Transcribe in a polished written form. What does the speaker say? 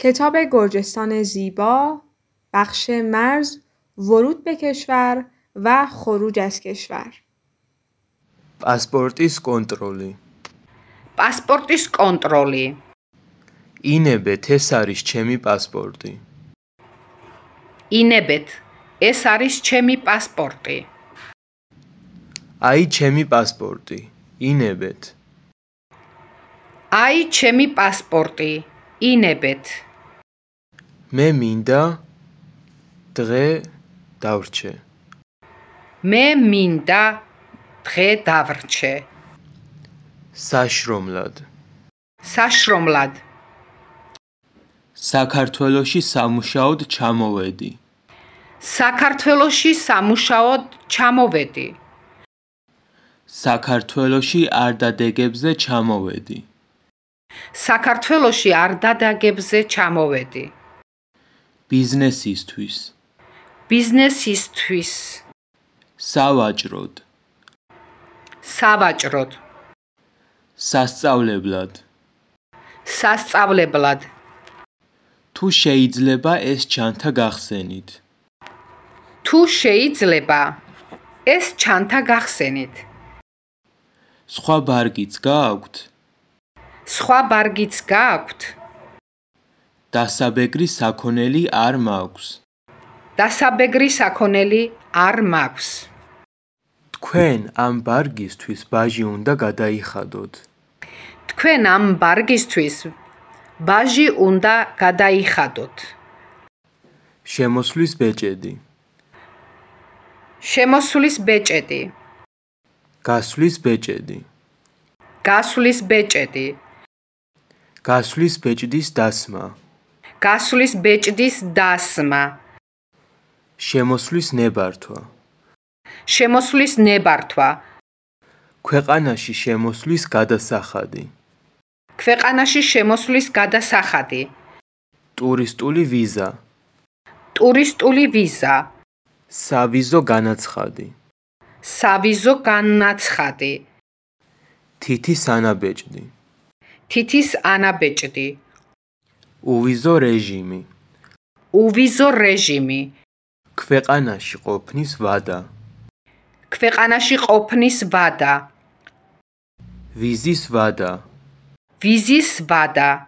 کتاب گرجستان زیبا، بخش مرز، ورود به کشور و خروج از کشور. پاسپورتის კონტროლი. პასპორტის კონტროლი. ინებეთ, ეს არის ჩემი პასპორტი. ინებეთ, ეს არის ჩემი პასპორტი. აი ჩემი პასპორტი. ინებეთ. აი ჩემი პასპორტი. ინებეთ. მე მინდა დღე დავრჩე. მე მინდა დღე დავრჩე. საშრომლად. საშრომლად. საქართველოში სამუშაოდ ჩამოვედი. საქართველოში სამუშაოდ ჩამოვედი. საქართველოში არდადეგებზე ჩამოვედი. საქართველოში არდადეგებზე ჩამოვედი. ბიზნესისთვის. ბიზნესისთვის. სავაჭროდ. სავაჭროდ. სასწავლებლად. სასწავლებლად. თუ შეიძლება ეს ჩანთა გახსენით. თუ შეიძლება ეს ჩანთა გახსენით. სხვა ბარგიც გააქვთ? სხვა ბარგიც გააქვთ? დასაბეგრი საქონელი არ მაქვს. დასაბეგრი საქონელი არ მაქვს. თქვენ ამ ბარგისთვის ბაჟი უნდა გადაიხადოთ. თქვენ ამ ბარგისთვის ბაჟი უნდა გადაიხადოთ. შემოსვლის ბეჭედი. შემოსვლის ბეჭედი. გასვლის ბეჭედი. გასვლის ბეჭედი. გასვლის ბეჭდის დასმა. გასვლის ბეჭდის დასმა. შემოსვლის ნებართვა. შემოსვლის ნებართვა. ქვეყანაში შემოსვლის გადასახადი. ქვეყანაში შემოსვლის გადასახადი. ტურისტული ვიზა. ტურისტული ვიზა. სავიზო განაცხადი. სავიზო განაცხადი. თითის ანაბეჭდი. თითის ანაბეჭდი. უვიზო რეჟიმი. უვიზო რეჟიმი. ქვეყანაში ყოფნის ვადა. ქვეყანაში ყოფნის ვადა. ვიზის ვადა. ვიზის ვადა.